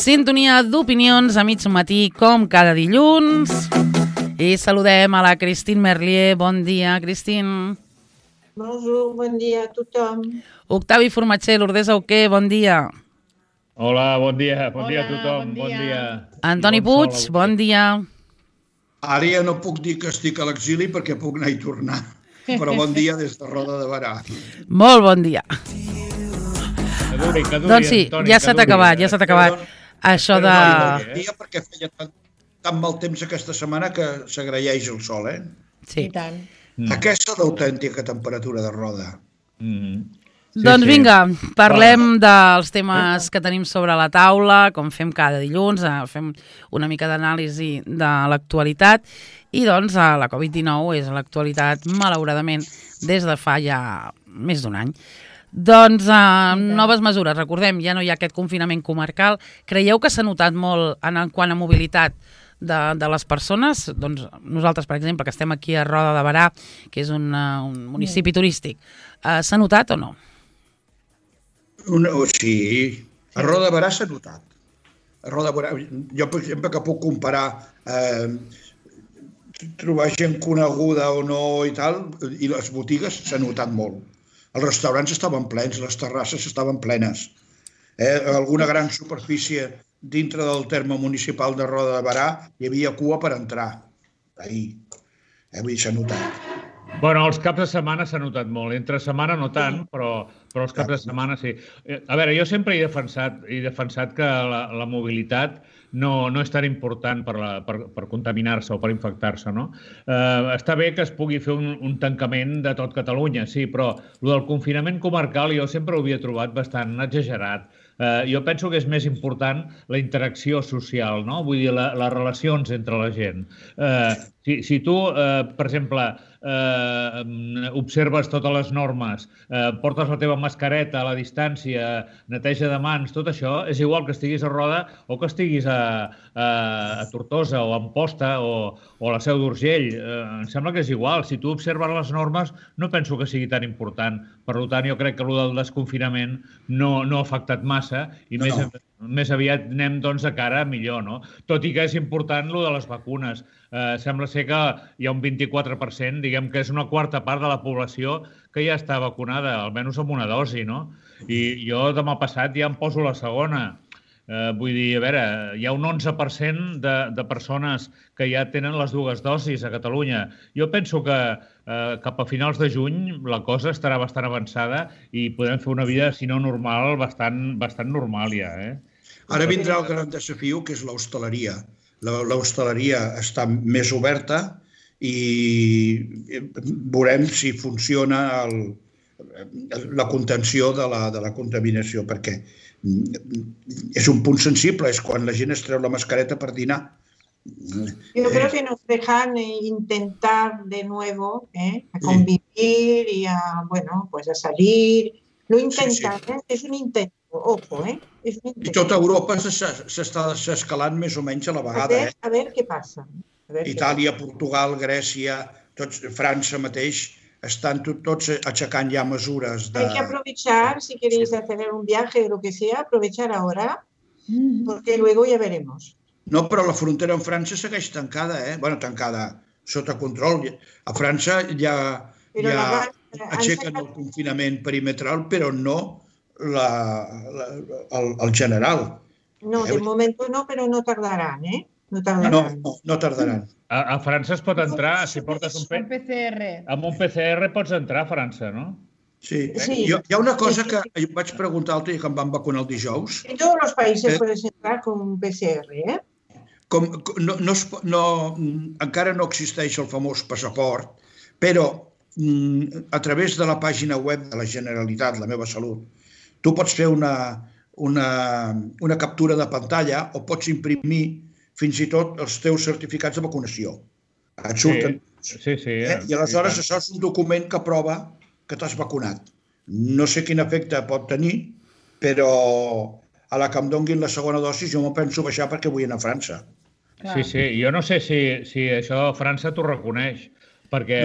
Sintonia d'opinions a mig matí, com cada dilluns. I saludem a la Christine Merlier. Bon dia, Christine. Bonjour, bon dia a tothom. Octavi Formatger, Lourdes Auqué, bon dia. Hola, bon dia a tothom, bon dia. Antoni Puig, bon dia. Ara ja no puc dir que estic a l'exili perquè puc anar i tornar, però bon dia des de Roda de Berà. Molt bon dia. Que duri, doncs sí, Antoni, ja s'ha acabat, això de... Bon dia perquè feia tan mal temps aquesta setmana que s'agraeix el sol, eh? Sí. I tant. Aquesta d'autèntica temperatura de Roda. Doncs vinga, parlem dels temes que tenim sobre la taula, com fem cada dilluns, fem una mica d'anàlisi de l'actualitat i doncs la Covid-19 és l'actualitat, malauradament, des de fa ja més d'un any. Doncs noves mesures, recordem, ja no hi ha aquest confinament comarcal. Creieu que s'ha notat molt en quant a mobilitat de les persones? Doncs nosaltres, per exemple, que estem aquí a Roda de Berà, que és un municipi turístic, s'ha notat o no? Sí, a Roda de Berà s'ha notat. A Roda de Berà, jo, per exemple, que puc comparar trobar gent coneguda o no i tal, i les botigues s'ha notat molt. Els restaurants estaven plens, les terrasses estaven plenes. Alguna gran superfície dintre del terme municipal de Roda de Berà hi havia cua per entrar. Ahir. Vull dir, s'ha notat. Bueno, els caps de setmana s'ha notat molt. Entre setmana no tant, però els caps de setmana sí. A veure, jo sempre he defensat que la mobilitat no és tan important per contaminar-se o per infectar-se, no? Està bé que es pugui fer un tancament de tot Catalunya, sí, però el del confinament comarcal jo sempre ho havia trobat bastant exagerat. Jo penso que és més important la interacció social, no? Vull dir, les relacions entre la gent. Si tu, per exemple, observes totes les normes, portes la teva mascareta a la distància, neteja de mans, tot això, és igual que estiguis a Roda o que estiguis a Tortosa o a Amposta o a la Seu d'Urgell. Em sembla que és igual. Si tu observes les normes, no penso que sigui tan important. Per tant, jo crec que el del desconfinament no ha afectat massa i més aviat anem doncs de cara a millor, no? Tot i que és important el de les vacunes. Sembla ser que hi ha un 24%, diguem que és una quarta part de la població que ja està vacunada, almenys amb una dosi, no? I jo demà passat ja em poso la segona. Vull dir, a veure, hi ha un 11% de persones que ja tenen les dues dosis a Catalunya. Jo penso que cap a finals de juny la cosa estarà bastant avançada i podrem fer una vida, si no normal, bastant normal ja, Ara vindrà el gran desafiu, que és l'hostaleria. L'hostaleria està més oberta i veurem si funciona la contenció de la contaminació, perquè és un punt sensible, és quan la gent es treu la mascareta per dinar. Yo creo que nos dejan intentar de nuevo a convivir y a salir. Lo intentan, es un intento, ojo, es un intento. I tota Europa s'està escalant més o menys a la vegada. A ver qué pasa. Itàlia, Portugal, Grècia, França mateix, están tots aixecant ja mesures de... Hay que aprovechar, si queréis hacer un viaje o lo que sea, aprovechar ahora, porque luego ya veremos. No, però la frontera amb França segueix tancada, Bueno, tancada, sota control. A França ja aixequen el confinament perimetral, però no el general. No, de momento no, pero no tardarán, No tardaran. No tardaran. A França es pot entrar, si portes un PCR. Amb un PCR pots entrar a França, no? Sí. Hi ha una cosa que vaig preguntar l'altre dia que em van vacunar el dijous. En tots els països podes entrar con un PCR, Encara no existeix el famós passaport, però a través de la pàgina web de la Generalitat, La Meva Salut, tu pots fer una captura de pantalla o pots imprimir fins i tot els teus certificats de vacunació. Et surten. Sí. I aleshores això és un document que prova que t'has vacunat. No sé quin efecte pot tenir, però a la que em donguin la segona dosi jo m'ho penso baixar perquè vull anar a França. Sí. Jo no sé si això a França t'ho reconeix, perquè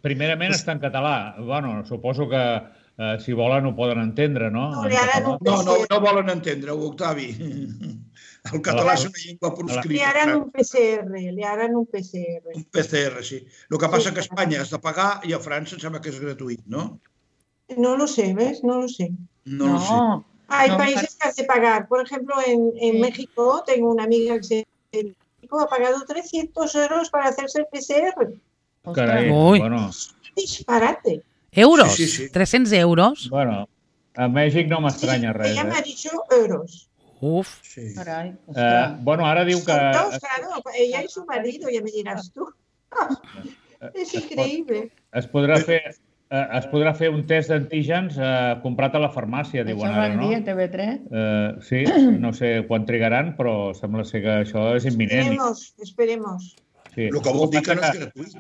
primerament està en català. Bueno, suposo que si volen ho poden entendre, no? No volen entendre-ho, Octavi. El català és una llengua proscrita. Le harán un PCR. Un PCR, sí. El que passa que a Espanya has de pagar i a França em sembla que és gratuït, ¿no? No lo sé, ¿ves? No lo sé. No lo sé. Hay países que has de pagar. Por ejemplo, en México tengo una amiga que en México ha pagado 300 euros para hacerse el PCR. Carai, Ui. bueno. Disparate. Euros? Sí. 300 euros? Bueno, a Mèxic no m'estranya res. Ella me ha dicho euros. Uf. Sí. Carai, Bueno, ara diu que... Dos, claro, ella y su marido, ya me dirás tú. Es increíble. Es podrà fer un test d'antígens comprat a la farmàcia, diuen això ara, van no? dir a TV3. Sí, no sé quan trigaran, però sembla ser que això és imminent. Esperemos. Sí. El que vol dir que no és gratuït.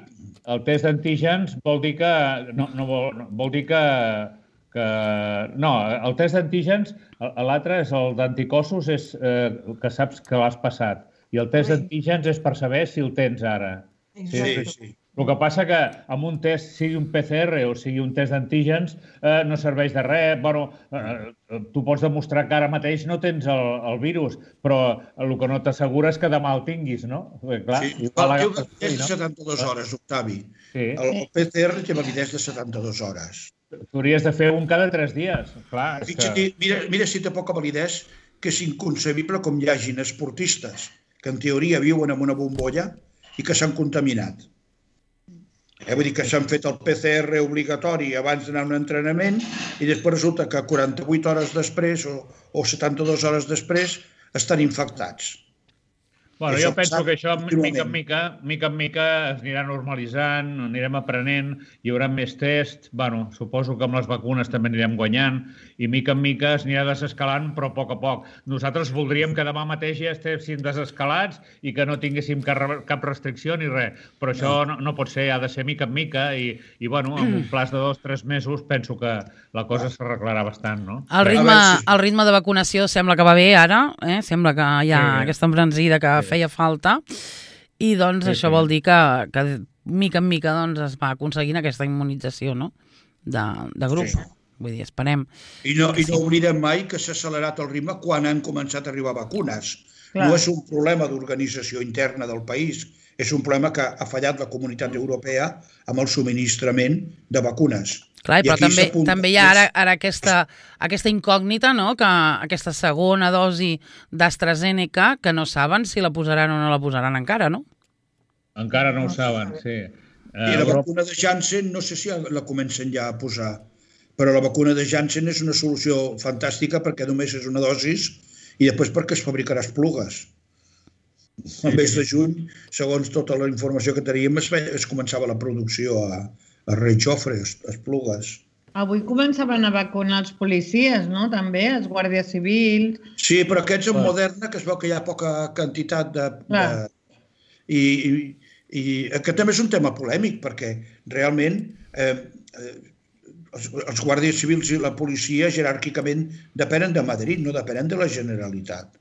El test d'antígens vol dir que... vol dir que... No, el test d'antígens, l'altre és el d'anticossos, és que saps que l'has passat. I el test d'antígens és per saber si el tens ara. Sí. El que passa que amb un test, sigui un PCR o sigui un test d'antígens, no serveix de res. Bueno, tu pots demostrar que ara mateix no tens el virus, però el que no t'assegura és que demà el tinguis, no? Clar, Sí. El validès de 72 hores, Octavi. Sí. El PCR té validès de 72 hores. T'hauries de fer un cada 3 dies. Clar, Mira si té poca validesa, que és inconcebible com hi hagin esportistes que en teoria viuen en una bombolla i que s'han contaminat. Vull dir que s'han fet el PCR obligatori abans d'anar a un entrenament i després resulta que 48 hores després o 72 hores després estan infectats. Bueno, jo penso que això, mica en mica, es anirà normalitzant, anirem aprenent, hi haurà més tests, bueno, suposo que amb les vacunes també anirem guanyant, i mica en mica es anirà desescalant, però a poc. Nosaltres voldríem que demà mateix ja estéssim desescalats i que no tinguéssim cap restricció ni res, però això no pot ser, ha de ser mica en mica, i bueno, en un plaç de 2 o 3 mesos penso que la cosa s'arreglarà bastant, no? El ritme de vacunació sembla que va bé ara, sembla que hi ha aquesta embranzida que feia falta, i doncs això vol dir que mica en mica es va aconseguint aquesta immunització, no? De grup. Vull dir, esperem. I no oblidem mai que s'ha accelerat el ritme quan han començat a arribar vacunes. No és un problema d'organització interna del país, és un problema que ha fallat la comunitat europea amb el subministrament de vacunes. Clar, però també hi ha ara aquesta incògnita, no? Que aquesta segona dosi d'AstraZeneca, que no saben si la posaran o no la posaran encara, no? Encara no ho saben, sí. I la vacuna de Janssen, no sé si la comencen ja a posar, però la vacuna de Janssen és una solució fantàstica perquè només és una dosis i després perquè es fabricarà esplugues. Al mes de juny, segons tota la informació que teníem, es començava la producció a Rei Jofre, Esplugues. Avui començaven a vacunar els policies, no? També, els guàrdies civils. Sí, però aquests amb Moderna, que es veu que hi ha poca quantitat de... I aquest també és un tema polèmic, perquè realment els guàrdies civils i la policia jeràrquicament depenen de Madrid, no depenen de la Generalitat.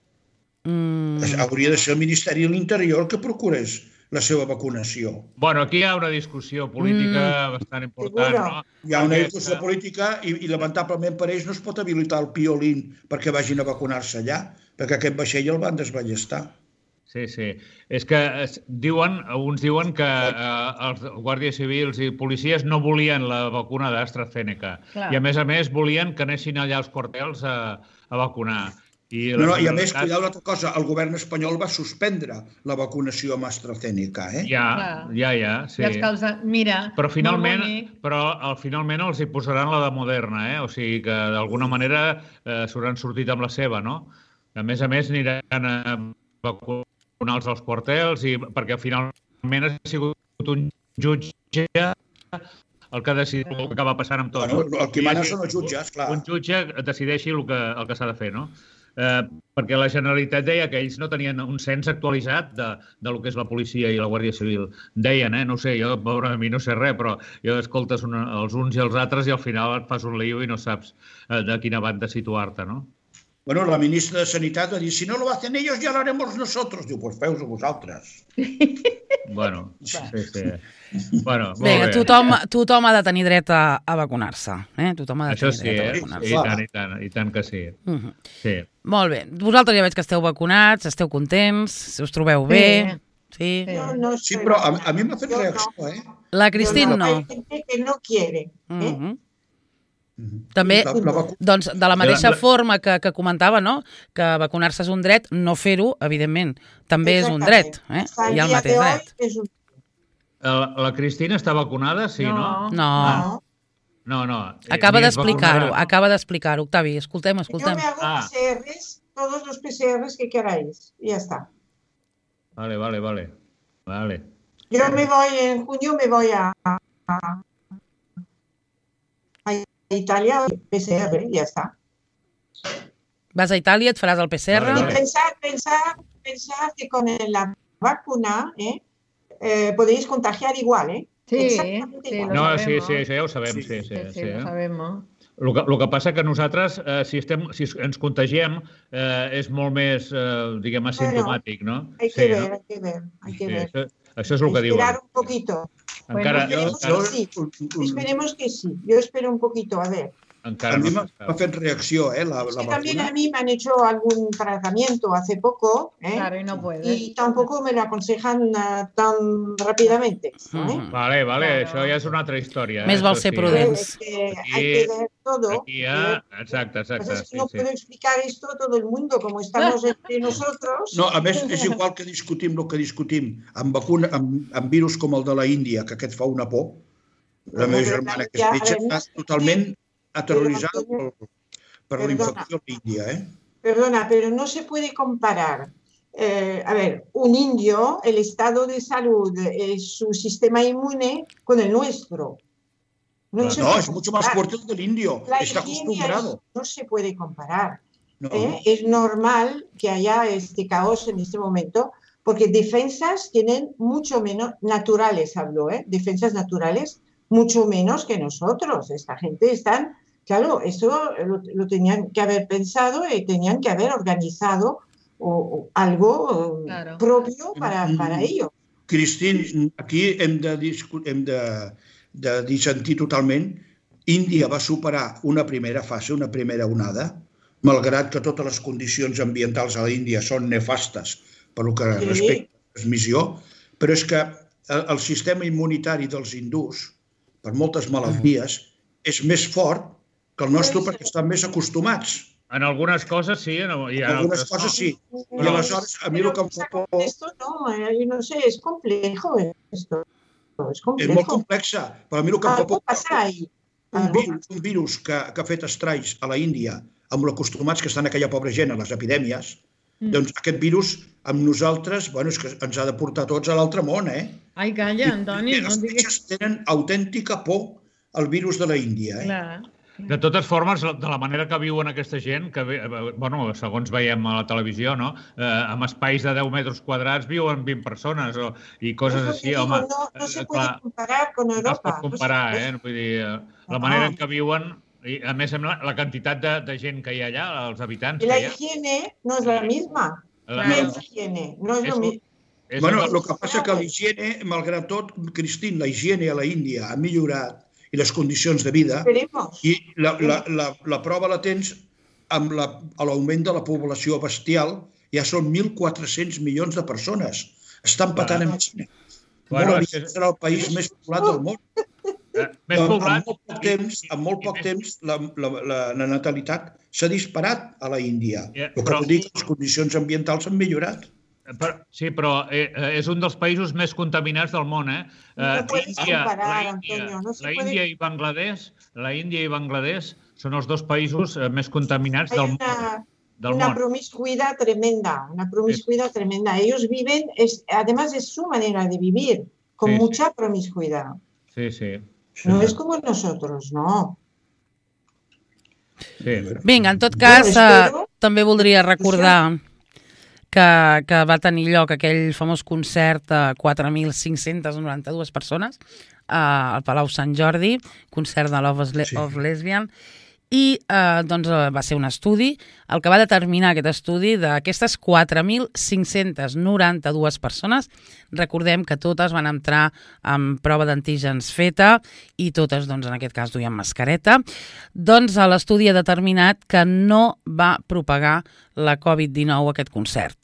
Hauria de ser el Ministeri de l'Interior que procurés la seva vacunació. Bueno, aquí hi ha una discussió política bastant important, no? Hi ha una discussió política i lamentablement per ells no es pot habilitar el Piolín perquè vagin a vacunar-se allà, perquè aquest vaixell el van desballestar. Sí. És que uns diuen que els guàrdies civils i policies no volien la vacuna d'AstraZeneca. I a més volien que anessin allà als quartels a vacunar. I a més, cuidado l'altra cosa, el govern espanyol va suspendre la vacunació amb AstraZeneca, Ja, sí. Mira, però finalment els hi posaran la de Moderna, o sigui que d'alguna manera s'hauran sortit amb la seva, no? A més, aniran a vacunar als quartels, perquè finalment ha sigut un jutge el que ha decidit el que acaba passant amb tot. El que mana són els jutges, clar. Un jutge decideixi el que s'ha de fer, no? Perquè la Generalitat deia que ells no tenien un cens actualitzat del que és la policia i la Guàrdia Civil. Deien, no sé, jo, pobre, a mi no sé res, però jo escoltes els uns i els altres i al final et fas un lío i no saps de quina banda situar-te, no? Bueno, la ministra de Sanitat va dir, si no lo hacen ellos, ya lo haremos nosotros. Diu, pues feu-ho vosaltres. Bueno, sí. Bueno, molt Vinga, bé. tothom ha de tenir dret a vacunar-se. Tothom ha de Això tenir sí, dret a vacunar-se. i tant que sí. Sí. Molt bé. Vosaltres ja veig que esteu vacunats, esteu contents, si us trobeu bé. Sí. Sí, però a mi m'ha fet reacció, La Cristina no. Hay gente que no quiere. També, doncs, de la mateixa forma que comentava, no?, que vacunar-se és un dret, no fer-ho, evidentment, també és un dret. Hi ha el mateix dret. La Cristina està vacunada, sí, no? No. No. Acaba d'explicar-ho, Octavi, escoltem. Yo me hago PCRs, todos los PCRs que queráis, y ya está. Vale. Yo en junio me voy a Italia, PCR, y ya está. Vas a Itàlia, et faràs el PCR? Vale. Pensar que con la vacuna podéis contagiar igual, Sí, exactamente igual. No, lo sí, sabemos. això ja ho sabem, sí. Lo sabemos. El que passa que nosaltres, si ens contagiem, és molt més, diguem, asimptomàtic, no? Hay que ver. Això és el que diuen. Esperar un poquito. Encara Esperemos que sí. Yo espero un poquito, a ver. A mi m'ha fet reacció, la También vacuna. a mí me han hecho algún tratamiento hace poco, Claro, y no puedes. y tampoco me lo aconsejan tan rápidamente. Vale, això ja és una altra història. Més val ser prudents. Hay que ver todo. Exacte. Es que no puedo explicar esto a todo el mundo, como estamos entre nosotros. No, a més, és igual que discutim el que discutim amb virus com el de la Índia, que aquest fa una por. La meva germana, que és metge, està totalment aterrorizada per la infecció a l'Índia. Perdona, pero no se puede comparar. A ver, un indio, el estado de salud, su sistema inmune con el nuestro. No, es mucho más fuerte el del indio. Está acostumbrado. No se puede comparar. No. Es normal que haya este caos en este momento, porque defensas tienen mucho menos, naturales hablo, defensas naturales, mucho menos que nosotros. Esta gente están, claro, eso lo tenían que haber pensado y tenían que haber organizado algo propio para ello. Cristín, aquí hem de dissentir totalment. Índia va superar una primera fase, una primera onada, malgrat que totes les condicions ambientals a l'Índia són nefastes pel que respecta a la transmissió, però és que el sistema immunitari dels hindús, per moltes malalties, és més fort que el nostre perquè estan més acostumats. En algunes coses sí, en algunes coses sí. I aleshores, a mi el que em fa por... Esto no, yo no sé, es complejo esto. Es molt complexa, però a mi el que em fa por... passa ahí. Un virus que ha fet estralls a la Índia, amb l'acostumats que estan aquella pobra gent a les epidèmies, doncs aquest virus amb nosaltres, bueno, és que ens ha de portar tots a l'altre món, Ai, calla, Antoni. Els metges tenen autèntica por al virus de la Índia, Clar. De totes formes, de la manera que viuen aquesta gent, que, bueno, segons veiem a la televisió, no? Amb espais de 10 metres quadrats viuen 20 persones i coses així, home. No se puede comparar con Europa. No es pot comparar, Vull dir, la manera en què viuen, i a més la quantitat de gent que hi ha allà, els habitants que hi ha. La higiene no és la misma. La higiene no és la misma. Bueno, el que passa que la higiene, malgrat tot, Cristín, la higiene a la Índia ha millorat i les condicions de vida, i la prova la tens amb l'augment de la població bestial, ja són 1.400 milions de persones. Estan patant amb Xina. Serà el país més poblat del món. En molt poc temps la natalitat s'ha disparat a la Índia. El que vol dir que les condicions ambientals han millorat. Sí, però és un dels països més contaminats del món, No puedes comparar, Antonio. La Índia i Bangladesh són els dos països més contaminats del món. Una promiscuidad tremenda, Ellos viven, además es su manera de vivir, con mucha promiscuidad. Sí. No es como nosotros, no. Vinga, en tot cas, també voldria recordar que va tenir lloc aquell famós concert a 4.592 persones al Palau Sant Jordi, concert de Love of Lesbian, i va ser un estudi, el que va determinar aquest estudi d'aquestes 4.592 persones. Recordem que totes van entrar amb prova d'antígens feta i totes, en aquest cas, duien mascareta. L'estudi ha determinat que no va propagar la Covid-19 aquest concert.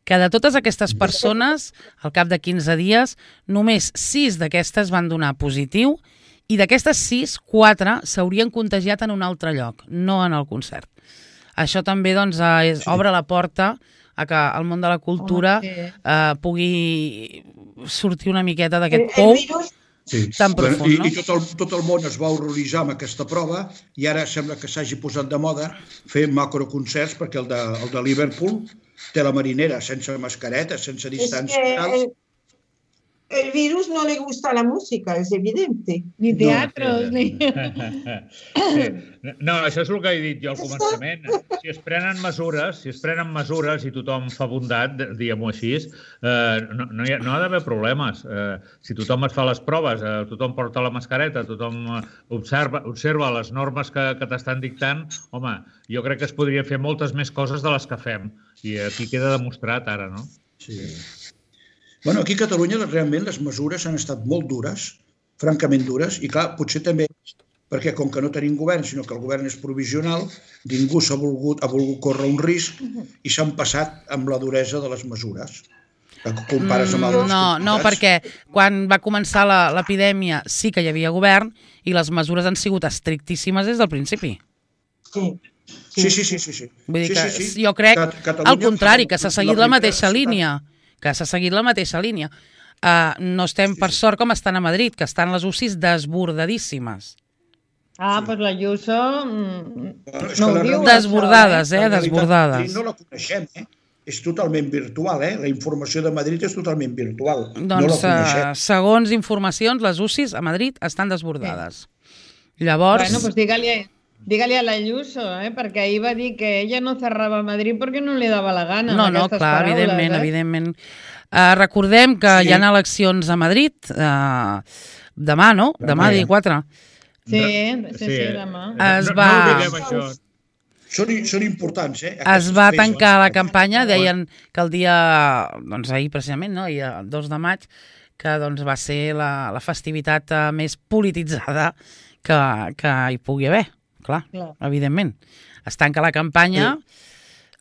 Que de totes aquestes persones, al cap de 15 dies, només 6 d'aquestes van donar positiu i d'aquestes 6, 4 s'haurien contagiat en un altre lloc, no en el concert. Això també obre la porta a que el món de la cultura pugui sortir una miqueta d'aquest pou tan profund. I tot el món es va horroritzar amb aquesta prova i ara sembla que s'hagi posat de moda fer macroconcerts perquè el de Liverpool té la marinera, sense mascareta, sense distància. El virus no le gusta la música, es evidente. Ni teatros, ni... No, això és el que he dit jo al començament. Si es prenen mesures i tothom fa bondat, diguem-ho així, no ha d'haver problemes. Si tothom es fa les proves, tothom porta la mascareta, tothom observa les normes que t'estan dictant, home, jo crec que es podrien fer moltes més coses de les que fem. I aquí queda demostrat ara, no? Sí. Bueno, aquí a Catalunya realment les mesures han estat molt dures, francament dures, i clar, potser també perquè com que no tenim govern, sinó que el govern és provisional, ningú ha volgut córrer un risc i s'han passat amb la duresa de les mesures. No, perquè quan va començar l'epidèmia sí que hi havia govern i les mesures han sigut estrictíssimes des del principi. Sí. Vull dir que jo crec, al contrari, que s'ha seguit la mateixa línia. No estem, per sort, com estan a Madrid, que estan les UCIs desbordadíssimes. Doncs la Ayuso no ho diu. Desbordades, desbordades. No la coneixem, és totalment virtual, la informació de Madrid és totalment virtual. Doncs, segons informacions, les UCIs a Madrid estan desbordades. Llavors... Bueno, pues dígale a la Ayuso, perquè ahir va dir que ella no cerrava Madrid perquè no li dava la gana. No, clar, evidentment. Recordem que hi ha eleccions a Madrid demà, no? Demà, dia 4. Sí, demà. No diguem això. Són importants, Es va tancar la campanya, deien que el dia, ahir precisament, no? El 2 de maig, que va ser la festivitat més polititzada que hi pugui haver. Clar, evidentment. Es tanca la campanya,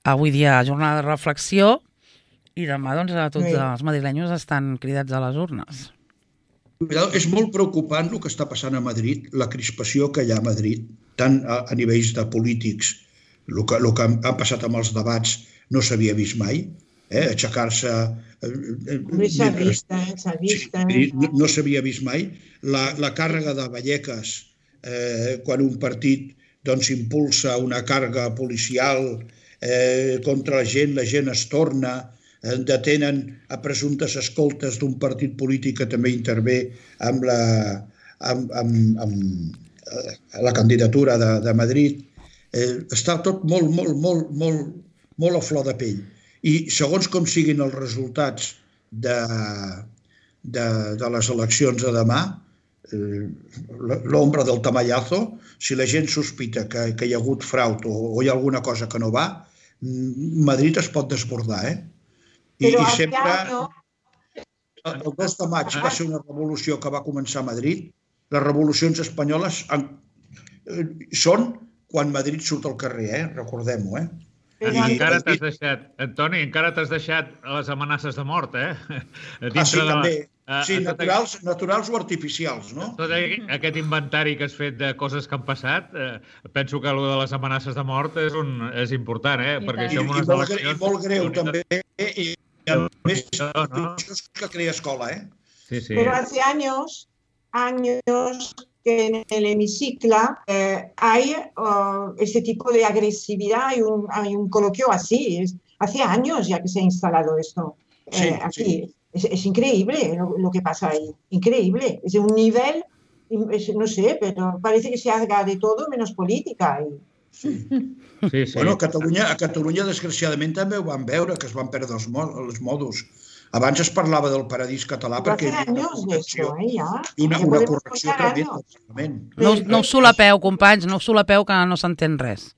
avui dia jornada de reflexió, i demà tots els madrilenyos estan cridats a les urnes. És molt preocupant el que està passant a Madrid, la crispació que hi ha a Madrid, tant a nivells de polítics, el que ha passat amb els debats no s'havia vist mai, aixecar-se... No s'havia vist mai. La càrrega de Vallecas, quan un partit impulsa una càrrega policial contra la gent es torna, detenen a presumptes escoltes d'un partit polític que també intervé amb la candidatura de Madrid. Està tot molt a flor de pell. I segons com siguin els resultats de les eleccions de demà, l'ombra del tamallazo, si la gent sospita que hi ha hagut frau o hi ha alguna cosa que no va, Madrid es pot desbordar, I sempre... El 2 de maig va ser una revolució que va començar a Madrid. Les revolucions espanyoles són quan Madrid surt al carrer, recordem-ho, Encara t'has deixat, Antoni, les amenaces de mort, Sí, també. Sí, naturals o artificials, no? Tot aquest inventari que has fet de coses que han passat, penso que allò de les amenaces de mort és important, perquè això en unes eleccions... I molt greu, també, i a més, que crea escola, Sí. Pero hace años que en el hemiciclo hay este tipo de agresividad, hay un coloquio así. Hace años ya que se ha instalado esto aquí. Sí. Es increíble lo que pasa ahí, increíble. Es de un nivel, no sé, pero parece que se haga de todo menos política. Sí. Bueno, a Catalunya, desgraciadament, també ho vam veure, que es van perdre els modos. Abans es parlava del paradís català perquè hi havia una correcció tremenda al Parlament. No us solapeu, companys, no us solapeu, que no s'entén res.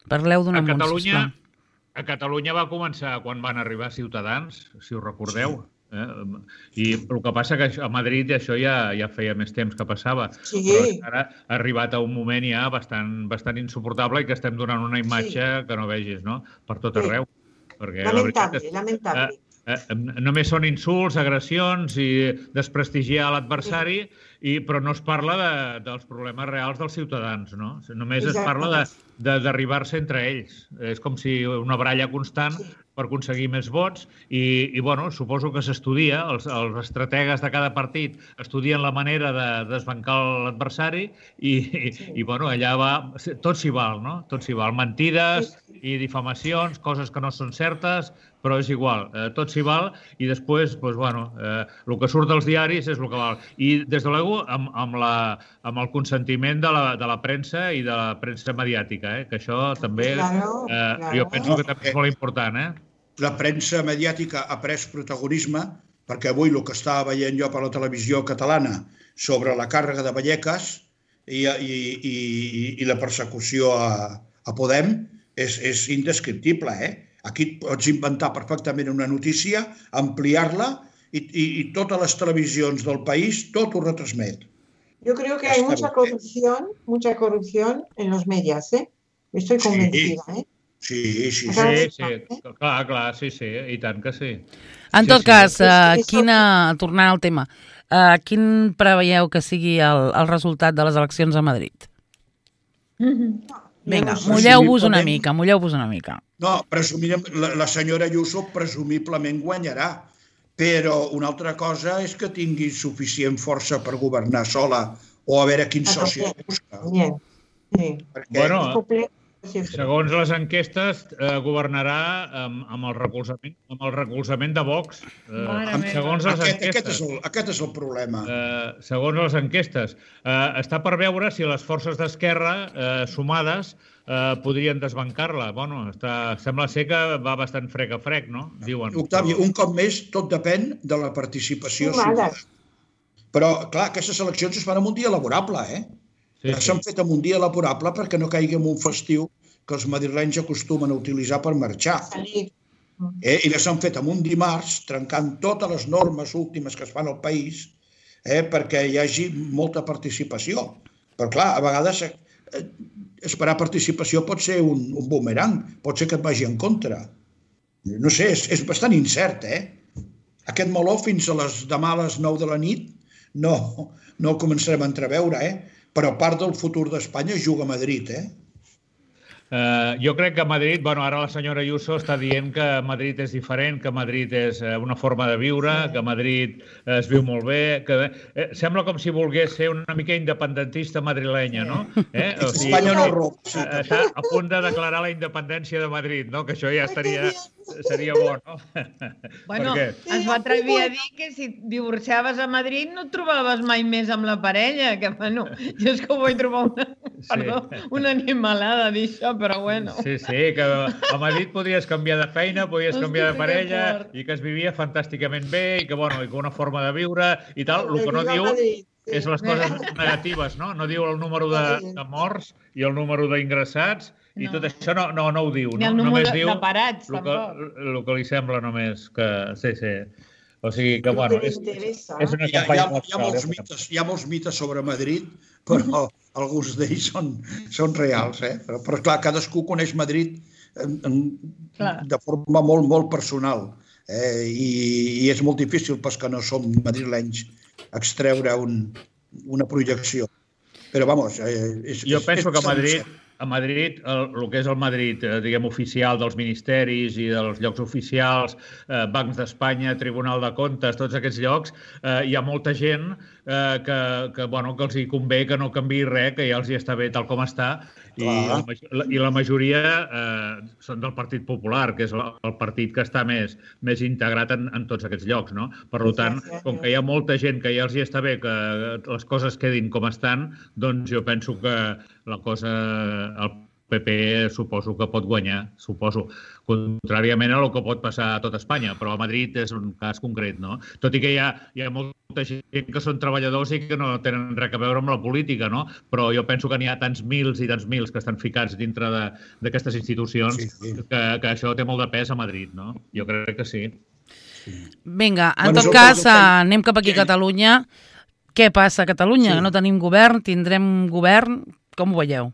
Parleu d'un amunt, sisplau. A Catalunya va començar quan van arribar Ciutadans, si us recordeu. I el que passa que a Madrid això ja feia més temps que passava, però ara ha arribat a un moment ja bastant insuportable i que estem donant una imatge que no vegis, no? Per tot arreu. Lamentable. Només són insults, agressions i desprestigiar l'adversari, però no es parla dels problemes reals dels ciutadans, no? Només es parla de derribar-se entre ells. És com si una baralla constant per aconseguir més vots i bueno, suposo que s'estudia, els estrategues de cada partit estudien la manera de desbancar l'adversari i bueno, allà va, tot s'hi val, no? Tot s'hi val. Mentides i difamacions, coses que no són certes, però és igual, tot s'hi val i després, doncs, bueno, el que surt dels diaris és el que val. I, des de l'ego, amb el consentiment de la premsa i de la premsa mediàtica, que això també, jo penso que també és molt important. La premsa mediàtica ha pres protagonisme perquè avui el que estava veient jo per la televisió catalana sobre la càrrega de Vallecas i la persecució a Podem és indescriptible, Aquí pots inventar perfectament una notícia, ampliar-la y todas las televisiones del país todo lo retransmet. Yo creo que hay mucha corrupción en los medios, Estoy convencida, Sí, clar, sí, i tant que sí. En tot cas, tornant al tema, quin preveieu que sigui el resultat de les eleccions a Madrid? Vinga, mulleu-vos una mica. No, la senyora Ayuso presumiblement guanyarà, però una altra cosa és que tingui suficient força per governar sola o a veure quin soci busca. Bueno, segons les enquestes, governarà amb el recolzament de Vox. Aquest és el problema. Segons les enquestes. Està per veure si les forces d'esquerra sumades podrien desbancar-la. Bueno, sembla ser que va bastant frec a frec, no? Diuen. Octavi, un cop més, tot depèn de la participació ciutadana. Però, clar, aquestes eleccions es fan en un dia laborable, S'han fet en un dia laborable perquè no caigui en un festiu que els madrilenys acostumen a utilitzar per marxar. I les han fet en un dimarts, trencant totes les normes últimes que es fan al país, perquè hi hagi molta participació. Però, clar, a vegades esperar participació pot ser un bumerang, pot ser que et vagi en contra. No sé, és bastant incert, Aquest meló fins a demà a les 9 de la nit no el començarem a entreveure, però part del futur d'Espanya juga a Madrid, Jo crec que Madrid, ara la senyora Ayuso està dient que Madrid és diferent, que Madrid és una forma de viure, que Madrid es viu molt bé, que sembla com si volgués ser una mica independentista madrilenya, no? Espanya no roba. Està a punt de declarar la independència de Madrid, no? Que això ja seria bo, no? Bueno, es va atrevir a dir que si divorciaves a Madrid no et trobaves mai més amb la parella, que bueno, jo és que ho vull trobar una animalada d'això, però bueno. Sí, que a Madrid podies canviar de feina, podies canviar de parella i que es vivia fantàsticament bé i que una forma de viure i tal. El que no diu és les coses negatives, no? No diu el número de morts i el número d'ingressats i tot això no ho diu. Ni el número de parats, tampoc. El que li sembla només que... Sí. O sigui que, és una campanya molt clara. Hi ha molts mites sobre Madrid, però alguns d'ells són reals, Però, clar, cadascú coneix Madrid de forma molt, molt personal. I és molt difícil, pels que no som madrilenys, extreure una projecció. Però, vamos... Jo penso que a Madrid, el que és el Madrid, diguem, oficial dels ministeris i dels llocs oficials, Bancs d'Espanya, Tribunal de Comptes, tots aquests llocs, hi ha molta gent que els hi convé que no canviï res, que ja els hi està bé tal com està, i la majoria són del Partit Popular, que és el partit que està més integrat en tots aquests llocs, no? Per tant, com que hi ha molta gent que ja els hi està bé que les coses quedin com estan, doncs jo penso que la cosa, PP suposo que pot guanyar, suposo, contràriament a el que pot passar a tot Espanya, però a Madrid és un cas concret, no? Tot i que hi ha molta gent que són treballadors i que no tenen res a veure amb la política, no? Però jo penso que n'hi ha tants mils i tants mils que estan ficats dintre d'aquestes institucions que això té molt de pes a Madrid, no? Jo crec que sí. Vinga, en tot cas, anem cap aquí a Catalunya. Què passa a Catalunya? No tenim govern, tindrem govern, com ho veieu?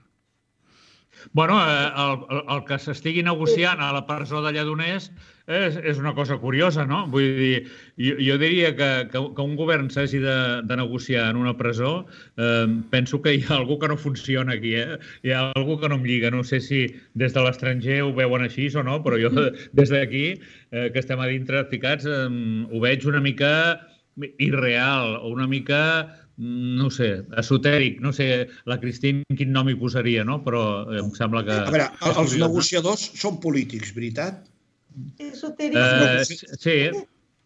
Bueno, el que s'estigui negociant a la presó de Lledoners és una cosa curiosa, no? Vull dir, jo diria que un govern s'hagi de negociar en una presó, penso que hi ha algú que no funciona aquí, Hi ha algú que no em lliga. No sé si des de l'estranger ho veuen així o no, però jo des d'aquí, que estem a dintre ficats, ho veig una mica irreal, o una mica, no sé, esotèric. No sé, la Cristín quin nom hi posaria, no? Però em sembla que... A veure, els negociadors són polítics, veritat? Esotèric. Sí.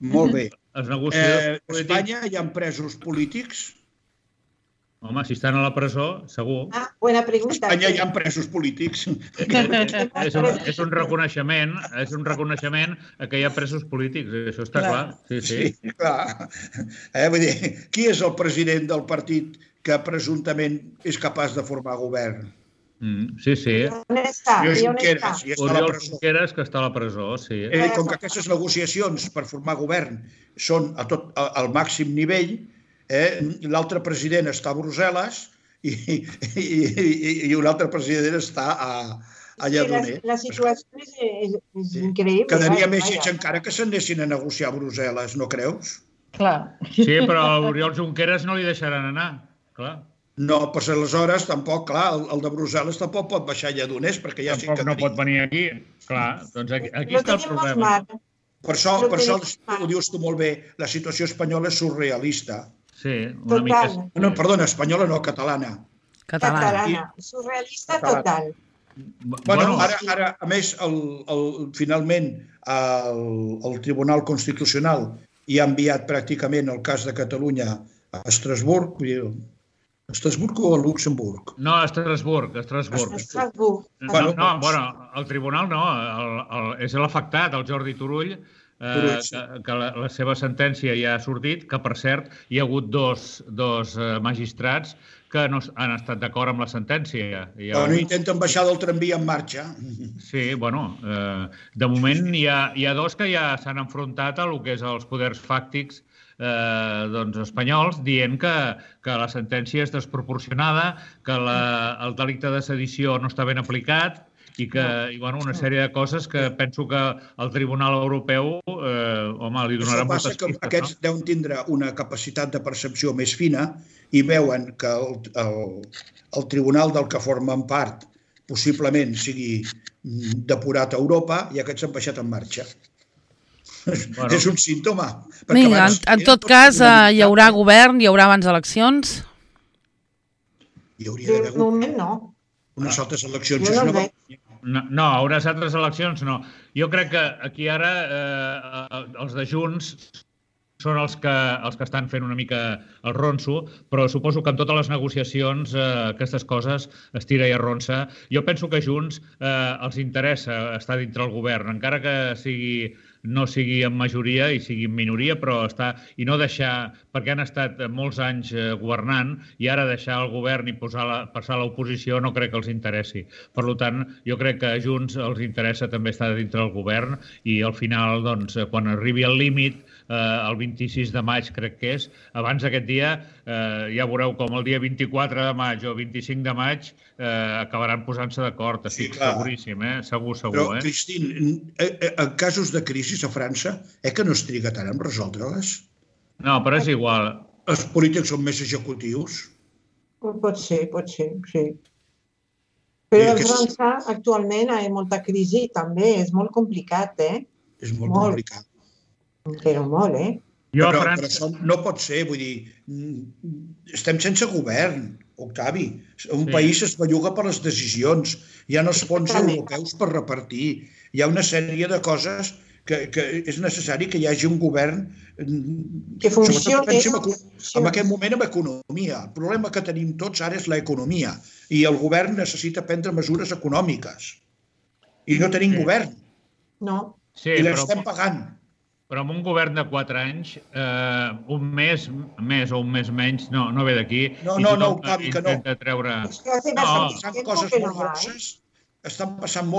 Molt bé. Els negociadors polítics... A Espanya hi ha presos polítics? Home, si estan a la presó, segur. Buena pregunta. A Espanya hi ha presos polítics. És un reconeixement que hi ha presos polítics, això està clar. Sí, clar. Vull dir, qui és el president del partit que presumptament és capaç de formar govern? Sí. On està? Oriol Junqueras, que està a la presó, sí. Com que aquestes negociacions per formar govern són al màxim nivell, l'altre president està a Brussel·les i un altre president està a Lledoners. La situació és increïble. Quedaria més lleig encara que s'anessin a negociar a Brussel·les, no creus? Clar. Sí, però a Oriol Junqueras no li deixaran anar, clar. No, però aleshores tampoc, clar, el de Brussel·les tampoc pot baixar a Lledoners perquè ja sí que... Tampoc no pot venir aquí, clar. Doncs aquí està el problema. Per això ho dius tu molt bé, la situació espanyola és surrealista. Sí, una mica... No, perdona, espanyola no, catalana. Catalana. Surrealista total. Bueno, ara, a més, finalment, el Tribunal Constitucional hi ha enviat pràcticament el cas de Catalunya a Estrasburg, Estrasburg o a Luxemburg? No, a Estrasburg. Bueno, el tribunal no, és l'afectat, el Jordi Turull, que la seva sentència ja ha sortit, que per cert hi ha hagut dos magistrats que no han estat d'acord amb la sentència. No intenten baixar del tramvia en marxa. Sí, bueno, de moment hi ha dos que ja s'han enfrontat a el que és els poders fàctics espanyols, dient que la sentència és desproporcionada, que el delicte de sedició no està ben aplicat i una sèrie de coses que penso que el Tribunal Europeu, li donarà moltes pistes. Passa que aquests deuen tindre una capacitat de percepció més fina i veuen que el tribunal del que formen part possiblement sigui depurat a Europa i aquests s'han baixat en marxa. És un símptoma. Vinga, en tot cas, hi haurà govern, hi haurà abans eleccions? Hi hauria d'haver govern. No. Unes altres eleccions. No, unes altres eleccions no. Jo crec que aquí ara els de Junts són els que estan fent una mica el ronso, però suposo que en totes les negociacions aquestes coses es tira i arronsa. Jo penso que a Junts els interessa estar dintre el govern, encara que no sigui en majoria i sigui en minoria, però i no deixar, perquè han estat molts anys governant, i ara deixar el govern i passar a l'oposició no crec que els interessi. Per tant, jo crec que a Junts els interessa també estar dintre del govern i al final, quan arribi al límit, el 26 de maig crec que és, abans d'aquest dia ja veureu com el dia 24 de maig o 25 de maig acabaran posant-se d'acord, estic seguríssim, segur. Però, Cristín, en casos de crisi a França, que no es triga tant en resoldre-les? No, però és igual. Els polítics són més executius? Pot ser, sí. Però a França actualment hi ha molta crisi també, és molt complicat, És molt complicat. Però molt, Però no pot ser, vull dir, estem sense govern, Octavi. Un país es belluga per les decisions, hi ha els fons europeus per repartir, hi ha una sèrie de coses que és necessari que hi hagi un govern que funcioni. En aquest moment amb economia. El problema que tenim tots ara és l'economia i el govern necessita prendre mesures econòmiques. I no tenim govern. No. I l'estem pagant. Però amb un govern de 4 anys, un mes més o un mes menys, no ve d'aquí. No, Octavi, que no. Intenta treure... Estan passant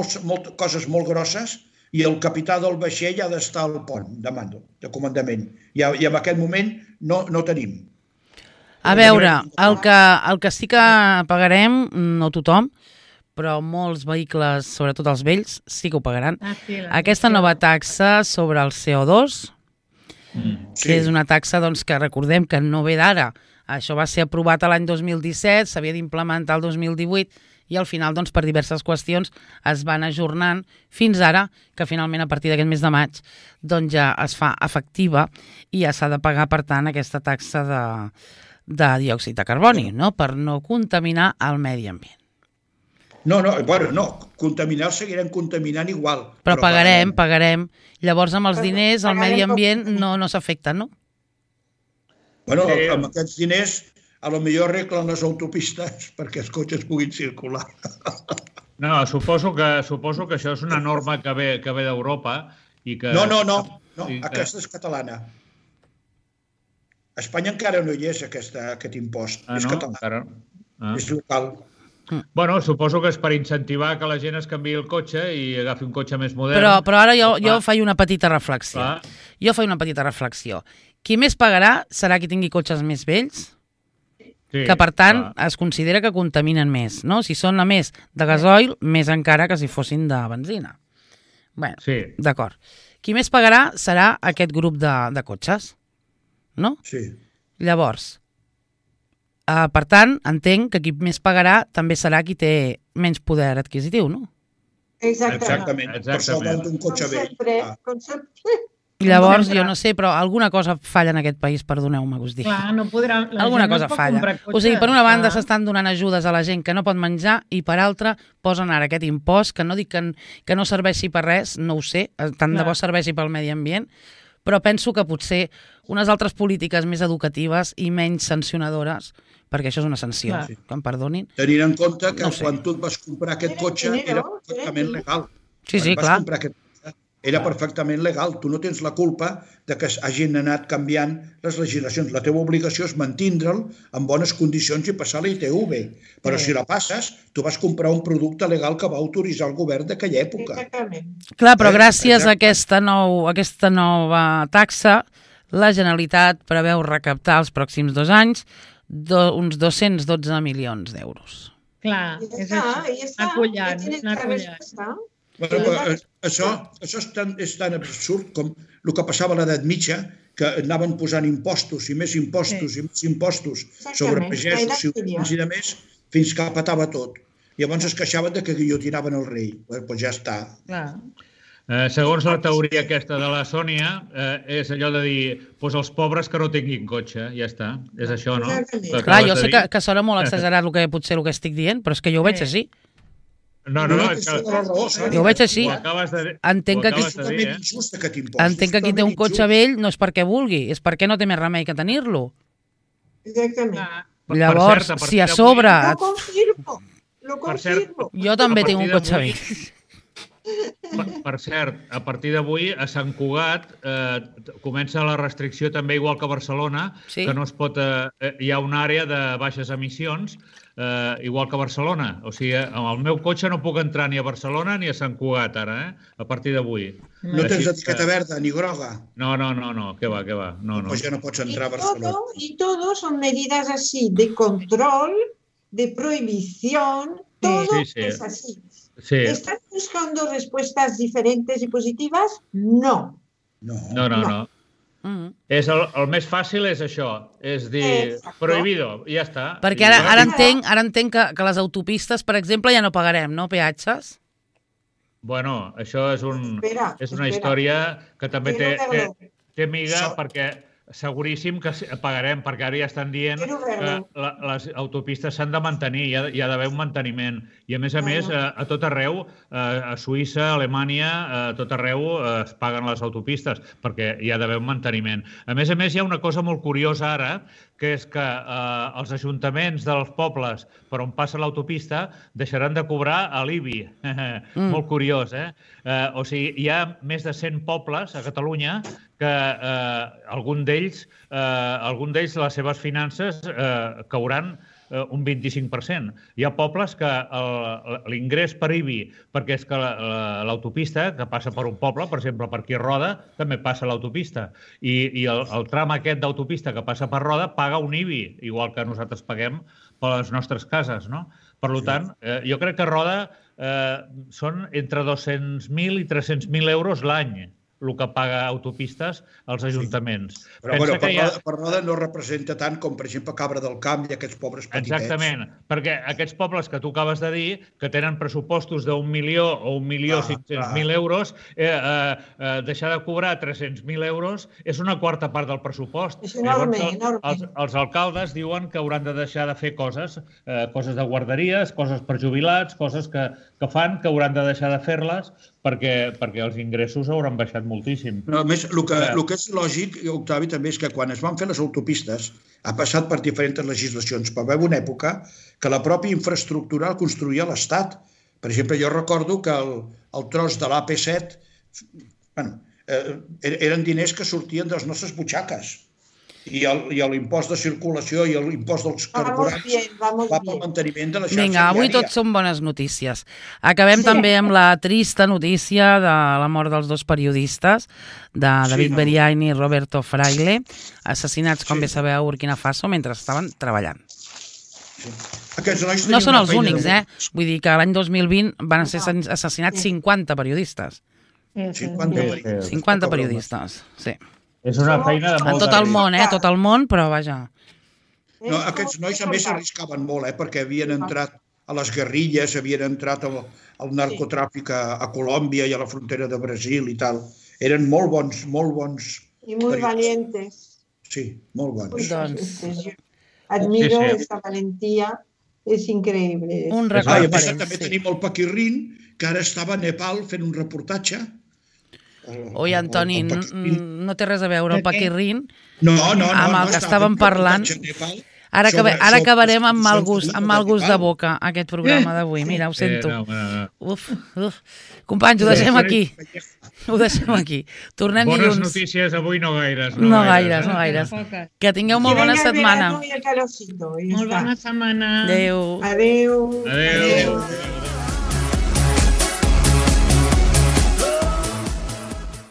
coses molt grosses i el capità del vaixell ha d'estar al pont de mando, de comandament. I en aquest moment no tenim. A veure, el que sí que pagarem, no tothom, però molts vehicles, sobretot els vells, sí que ho pagaran. Aquesta nova taxa sobre el CO2, que és una taxa que recordem que no ve d'ara. Això va ser aprovat l'any 2017, s'havia d'implementar el 2018 i al final, per diverses qüestions, es van ajornant fins ara, que finalment a partir d'aquest mes de maig ja es fa efectiva i ja s'ha de pagar, per tant, aquesta taxa de diòxid de carboni, per no contaminar el medi ambient. No, contaminar seguirem contaminant igual. Però pagarem. Llavors, amb els diners, el medi ambient no s'afecta, no? Bueno, amb aquests diners, a lo millor arreglen les autopistes perquè els cotxes puguin circular. No, suposo que això és una norma que ve d'Europa i que... No, aquesta és catalana. A Espanya encara no hi és aquest impost. És català. És local. Bueno, suposo que és per incentivar que la gent es canviï el cotxe i agafi un cotxe més modern. Però ara jo faig una petita reflexió. Qui més pagarà serà qui tingui cotxes més vells, que per tant es considera que contaminen més, no? Si són a més de gasoil, més encara que si fossin de benzina. Bé, d'acord. Qui més pagarà serà aquest grup de cotxes, no? Sí. Llavors, per tant, entenc que qui més pagarà també serà qui té menys poder adquisitiu, no? Exactament. Per això va un cotxe vell. Com sempre. Llavors, jo no sé, però alguna cosa falla en aquest país, perdoneu-me que us digui. Clar, no podrà... Alguna cosa falla. O sigui, per una banda s'estan donant ajudes a la gent que no pot menjar i per altra posen ara aquest impost, que no dic que no serveixi per res, no ho sé, tant de bo serveixi pel medi ambient, però penso que potser unes altres polítiques més educatives i menys sancionadores, perquè això és una sanció, que em perdonin. Tenint en compte que quan tu et vas comprar aquest cotxe era perfectament legal. Sí, clar. Era perfectament legal. Tu no tens la culpa de que hagin anat canviant les legislacions. La teva obligació és mantindre'l en bones condicions i passar la ITV. Però si la passes, tu vas comprar un producte legal que va autoritzar el govern d'aquella època. Clar, però gràcies a aquesta nova taxa, la Generalitat preveu recaptar els pròxims 2 anys uns 212 milions d'euros. Clar, és això. Anar collant. Això és tan absurd com el que passava a l'edat mitja, que anaven posant impostos i més impostos i més impostos sobre pagesos, ciutadans i de més, fins que patava tot. Llavors es queixaven de que guillotinaven el rei. Doncs ja està. Segons la teoria aquesta de la Sònia, és allò de dir, els pobres que no tinguin cotxe, ja està. És això, no? Clar, jo sé que sona molt exagerat potser el que estic dient, però és que jo ho veig així. No, jo ho veig així. Entenc que qui té un cotxe vell no és perquè vulgui, és perquè no té més remei que tenir-lo. Exactament. Llavors, si a sobre... Lo confirmo. Jo també tinc un cotxe vell. Per cert, a partir d'avui a Sant Cugat comença la restricció també igual que a Barcelona, que no es pot... Hi ha una àrea de baixes emissions, igual que a Barcelona. O sigui, amb el meu cotxe no puc entrar ni a Barcelona ni a Sant Cugat ara, a partir d'avui. No tens etiqueta verda ni groga? No, què va. Pues ja no pots entrar a Barcelona. Y todo son medidas así, de control, de prohibición, todo es así. ¿Están buscando respuestas diferentes y positivas? No. El més fàcil és això, és dir, prohibido, i ja està. Perquè ara entenc que les autopistes, per exemple, ja no pagarem, no, peatges? Bueno, això és una història que també té miga perquè seguríssim que pagarem, perquè ara ja estan dient que les autopistes s'han de mantenir, hi ha d'haver un manteniment. I a més, a tot arreu, a Suïssa, a Alemanya, a tot arreu es paguen les autopistes, perquè hi ha d'haver un manteniment. A més, hi ha una cosa molt curiosa ara, que és que els ajuntaments dels pobles per on passa l'autopista deixaran de cobrar a l'IBI. Molt curiós, eh? O sigui, hi ha més de 100 pobles a Catalunya que algun d'ells les seves finances cauran un 25%. Hi ha pobles que l'ingrés per IBI, perquè és que l'autopista que passa per un poble, per exemple, per aquí a Roda, també passa l'autopista. I el tram aquest d'autopista que passa per Roda paga un IBI, igual que nosaltres paguem per les nostres cases, no? Per tant, jo crec que a Roda són entre 200.000 i 300.000 euros l'any el que paga autopistes als ajuntaments. Però per Roda no representa tant com, per exemple, Cabra del Camp i aquests pobres petitets. Exactament, perquè aquests pobles que tu acabes de dir, que tenen pressupostos d'1 milió o 1.500.000 euros, deixar de cobrar 300.000 euros és una quarta part del pressupost. És enorme, enorme. Els alcaldes diuen que hauran de deixar de fer coses de guarderies, coses per jubilats, coses que fan que hauran de deixar de fer-les perquè els ingressos hauran baixat moltíssim. A més, el que és lògic, Octavi, també és que quan es van fer les autopistes ha passat per diferents legislacions, però va haver una època que la pròpia infraestructura la construïa l'Estat. Per exemple, jo recordo que el tros de l'AP7 eren diners que sortien de les nostres butxaques. I l'impost de circulació i l'impost dels carburants va pel manteniment de la xarxa viària. Vinga, avui tot són bones notícies. Acabem també amb la trista notícia de la mort dels dos periodistes, de David Beriain i Roberto Fraile, assassinats, com bé sabeu, a Burkina Faso mentre estaven treballant. No són els únics, Vull dir que l'any 2020 van ser assassinats 50 periodistes. 50 periodistes, sí. És una feina de molt... En tot el món, tot el món, però vaja. No, aquests nois a més arriscaven molt, perquè havien entrat a les guerrilles, havien entrat al narcotràfic a Colòmbia i a la frontera de Brasil i tal. Eren molt bons, molt bons. I molt valientes. Sí, molt bons. Doncs admiro aquesta valentia, és increïble. Un record per ells. També tenim el Paquirrin, que ara estava a Nepal fent un reportatge. Oi, Antoni, no té res a veure el Paquirrin amb el que estàvem parlant. Ara acabarem amb mal gust de boca, aquest programa d'avui. Mira, ho sento. Companys, ho deixem aquí. Tornem dilluns. Bones notícies avui no gaires. No gaires. Que tingueu molt bona setmana. Molt bona setmana. Adéu. Adéu.